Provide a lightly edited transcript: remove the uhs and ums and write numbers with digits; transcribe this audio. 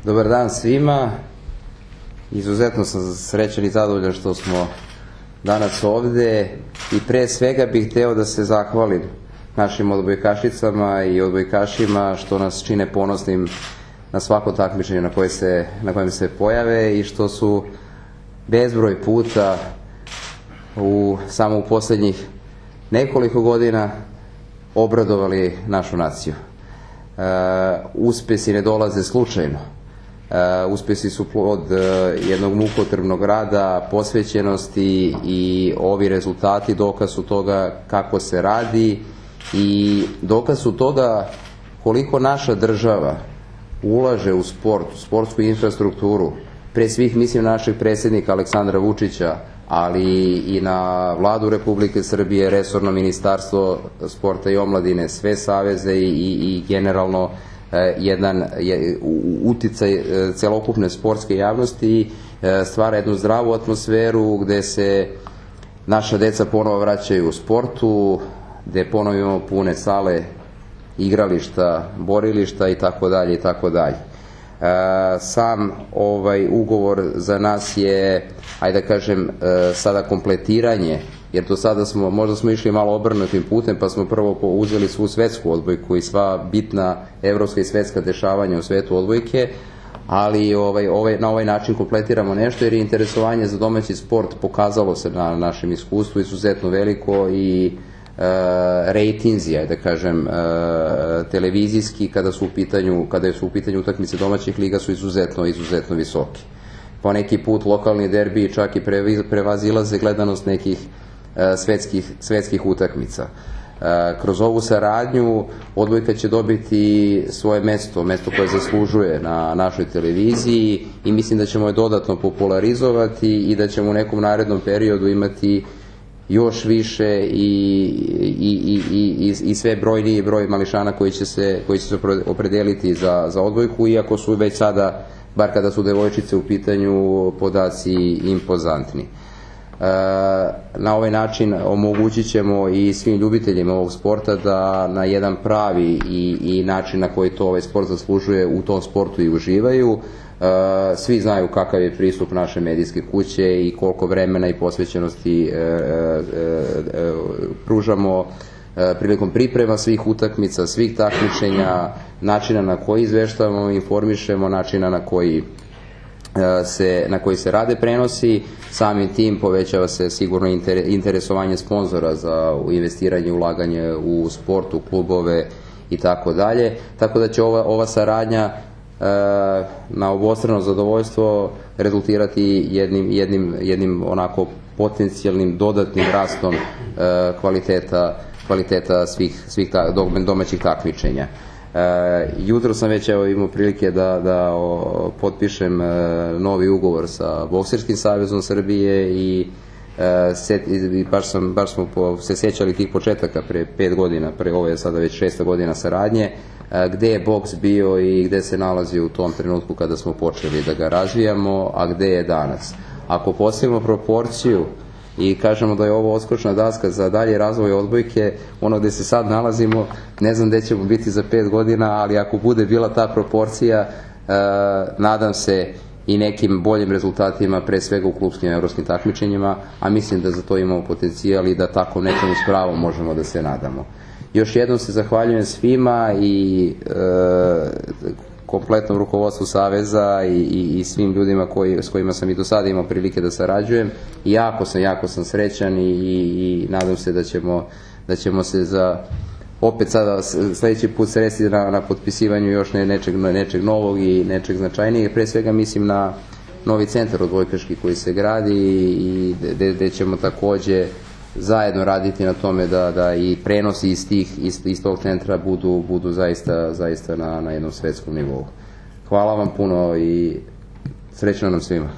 Dobar dan svima. Izuzetno sam srećan i zadovoljan što smo danas ovde i pre svega bih hteo da se zahvalim našim odbojkašicama i odbojkašima što nas čine ponosnim na svako takmičenje na kojem se pojave i što su bezbroj puta samo u poslednjih nekoliko godina obradovali našu naciju. Uspesi ne dolaze slučajno. Uspesi su plod jednog mukotrpnog rada, posvećenosti i ovi rezultati dokaz su toga kako se radi i dokaz su toga koliko naša država ulaže u sport, u sportsku infrastrukturu. Pre svih mislim na našeg predsjednika Aleksandra Vučića, ali i na Vladu Republike Srbije, resorno ministarstvo sporta i omladine, sve saveze i generalno jedan uticaj celokupne sportske javnosti stvara jednu zdravu atmosferu gde se naša deca ponovo vraćaju u sportu, gde ponovo imamo pune sale, igrališta, borilišta i tako dalje i tako dalje. Sam ovaj ugovor za nas je, ajde da kažem, sada kompletiranje, jer do sada možda smo išli malo obrnutim putem, pa smo prvo uzeli svu svetsku odbojku i sva bitna evropska i svetska dešavanja u svetu odbojke, ali na ovaj način kompletiramo nešto, jer je interesovanje za domaći sport pokazalo se na našem iskustvu izuzetno veliko i rejtinzi, da kažem, televizijski kada su u pitanju utakmice domaćih liga su izuzetno visoki. Po neki put lokalni derbi čak i prevazilaze gledanost nekih svetskih utakmica. Kroz ovu saradnju odbojka će dobiti svoje mesto koje zaslužuje na našoj televiziji i mislim da ćemo je dodatno popularizovati i da ćemo u nekom narednom periodu imati još više i sve brojniji broj mališana koji će se opredeliti za odbojku, iako su već sada, bar kada su devojčice u pitanju, podaci impozantni. Na ovaj način omogućit ćemo i svim ljubiteljima ovog sporta da na jedan pravi i način na koji to ovaj sport zaslužuje u tom sportu i uživaju. Svi znaju kakav je pristup naše medijske kuće i koliko vremena i posvećenosti pružamo prilikom priprema svih utakmica, svih takmičenja, načina na koji izveštavamo, informišemo, načina na koji se rade prenosi. Samim tim povećava se sigurno interesovanje sponzora za investiranje, ulaganje u sport, u klubove i tako dalje. Tako da će ova saradnja na obostrano zadovoljstvo rezultirati jednim onako potencijalnim dodatnim rastom kvaliteta svih domaćih takmičenja. Jutro sam već imao prilike da potpišem novi ugovor sa Bokserskim savezom Srbije i baš smo se sjećali tih početaka pre 5 godina, ovo je sada već 6. godina saradnje, gde je boks bio i gde se nalazi u tom trenutku kada smo počeli da ga razvijamo, a gde je danas. Ako postavimo proporciju i kažemo da je ovo odskočna daska za dalje razvoj odbojke, ono gde se sad nalazimo, ne znam gde ćemo biti za 5 godina, ali ako bude bila ta proporcija, nadam se i nekim boljim rezultatima, pre svega u klupskim evropskim takmičenjima, a mislim da za to imamo potencijal i da tako nečemu s pravom možemo da se nadamo. Još jednom se zahvaljujem svima i kompletnom rukovodstvu Saveza i svim ljudima s kojima sam i do sada imao prilike da sarađujem i jako sam srećan i nadam se da ćemo se opet sada sledeći put sresti na potpisivanju još nečeg novog i nečeg značajnijeg. Pre svega mislim na novi centar odbojkaški koji se gradi i gde ćemo takođe zajedno raditi na tome da i prenosi iz tog centra budu zaista na jednom svetskom nivou. Hvala vam puno i srećno nam svima.